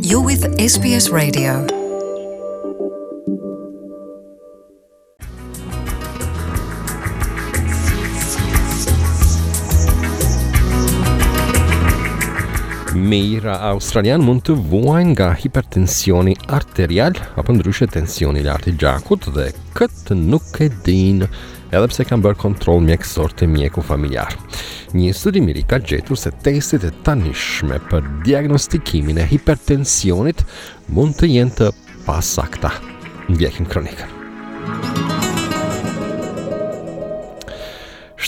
You're with SBS Radio. Mijëra australianë mund të vuajnë nga hipertensioni arterial apo ndryshe tensioni i lartë i gjakut dhe këtë nuk e dinë edhe pse kanë bërë kontroll mjekësor te mjeku familjar. Një studim i ri ka gjetur se testet e tanishme për diagnostikimin e hipertensionit mund të jenë të pasakta. Ndjekim kronikën.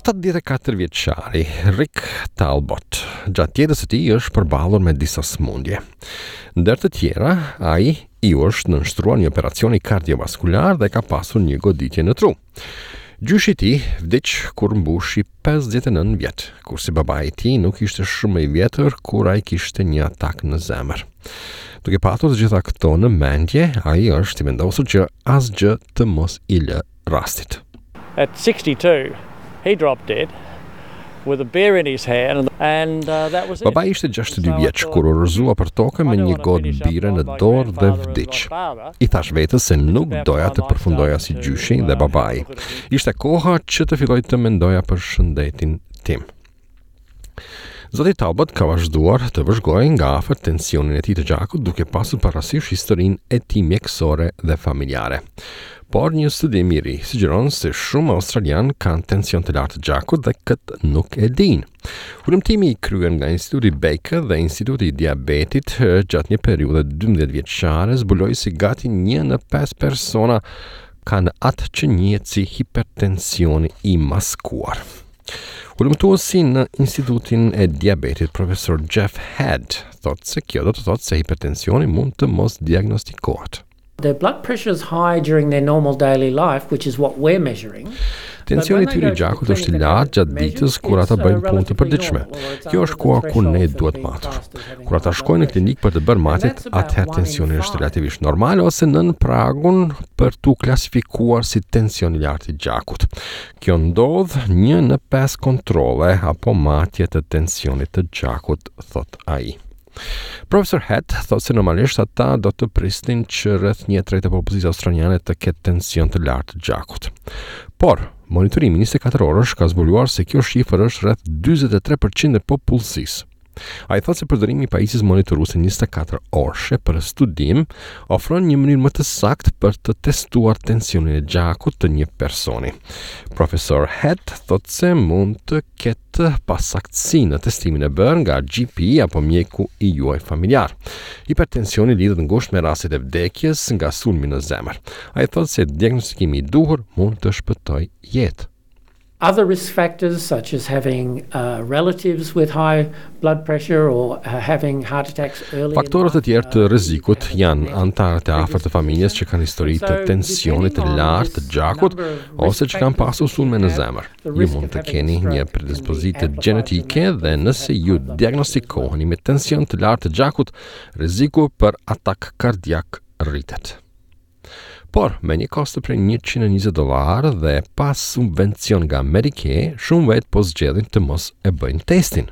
74 vjeçari Rick Talbot gjatë jetës së tij është përballur me disa sëmundje. Ndër të tjera, ai iu është nënshtruar një operacioni kardiovaskular dhe ka pasur një goditje në tru. Gjyshi i tij vdiq kur mbushi 59 vjet, kurse babai i tij nuk ishte shumë më i vjetër kur ai kishte një atak në zemër. Duke patur të gjitha këto në mendje, ai është i vendosur që asgjë të mos i lë rastit. At 62, he dropped dead with a beer in his hand and uh, that was it. Babai ishte 62 vjeç kur u rrëzua për tokë me një gotë bire në dorë dhe vdiq. I thashë vetes se nuk doja të përfundoja si gjyshi dhe babai. Ishte koha që të filloj të mendoja për shëndetin tim. Zoti Talbot ka vazhduar të vëzhgojë nga afër tensionin e tij të gjakut duke pasur parasysh historinë e tij mjekësore dhe familjare. Por një studim i ri sugjeron se shumë australianë kanë tension të lartë të gjakut dhe këtë nuk e dinë. Hulumtimi i kryer nga Instituti Baker dhe Instituti i Diabetit gjatë një periudhe 12 vjeçare zbuloi se gati 1 në 5 persona kanë atë që njihet si hipertensioni i maskuar. Hulumtuesi në Institutin e Diabetit, profesor Jeff Head, thotë se kjo do të thotë se hipertensioni mund të mos diagnostikohet. Their blood pressure is high during their normal daily life, which is what we're measuring. Tensioni i tyre i gjakut është i lartë gjatë ditës kur ata bëjnë punë të përditshme. Kjo është koha kur ne duhet matur. Kur ata shkojnë në klinikë për të bërë matjet, atëherë tensioni është relativisht normal ose nën pragun për t'u klasifikuar si tension i lartë i gjakut. Kjo ndodh një në pesë kontrolle apo matje të tensionit të gjakut, thotë ai. Profesor Head thotë se normalisht ata do të prisnin që rreth 1/3 e popullsisë australiane të ketë tension të lartë të gjakut. Por, monitorimi 24 orësh ka zbuluar se kjo shifër është rreth 43% e popullsisë. Ai thotë se përdorimi i pajisjes monitoruese 24 orëshe për studim ofron një mënyrë më të saktë për të testuar tensionin e gjakut të një personi. Profesor Head thotë se mund të ketë pasaktësi në testimin e bërë nga GP apo mjeku i juaj familjar. Hipertensioni lidhet ngushtë me rastet e vdekjes nga sulmi në zemër. Ai thotë se diagnostikimi i duhur mund të shpëtojë jetë. Other risk factors such as having uh, relatives with high blood pressure or uh, having heart attacks early Faktorët të tjerë të rrezikut janë anëtarët e afërt të familjes që kanë histori të tensionit të lartë të gjakut ose që kanë pasur sulme në zemër. Ju mund të keni një predispozitë gjenetike dhe nëse ju diagnostikoheni me tension të lartë të gjakut, rreziku për atak kardiak rritet. Por, me një kosto prej 120 dollarë dhe pa subvencion nga Medicare, shumë vetë po zgjedhin të mos e bëjnë testin.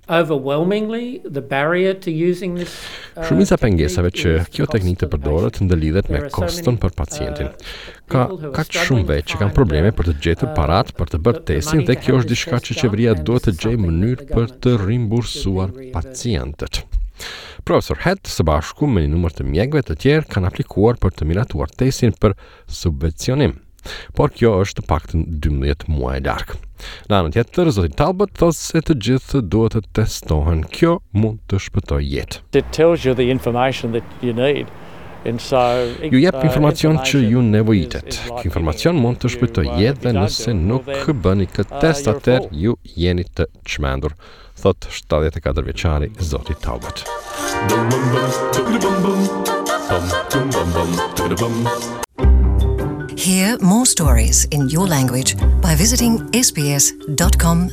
Overwhelmingly, the barrier to using this uh, Shumica e pengesave që kjo teknikë të përdoret ndërlidhet me koston për pacientin. Uh, Ka kaq shumë vetë që kanë probleme për të gjetur uh, paratë për të bërë testin dhe kjo është diçka që qeveria duhet të gjejë mënyrë për të rimbursuar pacientët. Profesor Head së bashku me një numër të mjekëve të tjerë kanë aplikuar për të miratuar testin për subvencionim. Por kjo është të paktën 12 muaj larg. Në anën tjetër, zoti Talbot thotë se të gjithë duhet të testohen. Kjo mund të shpëtojë jetë. It tells you the information that you need. And so, ju jep uh, informacion që ju nevojitet. Ky informacion mund të shpëtojë jetë dhe nëse nuk bëni këtë uh, test atëherë ju jeni të çmendur. thotë 74 vjeçari zoti Talbot. Hear more stories in your language by visiting sbs.com.au.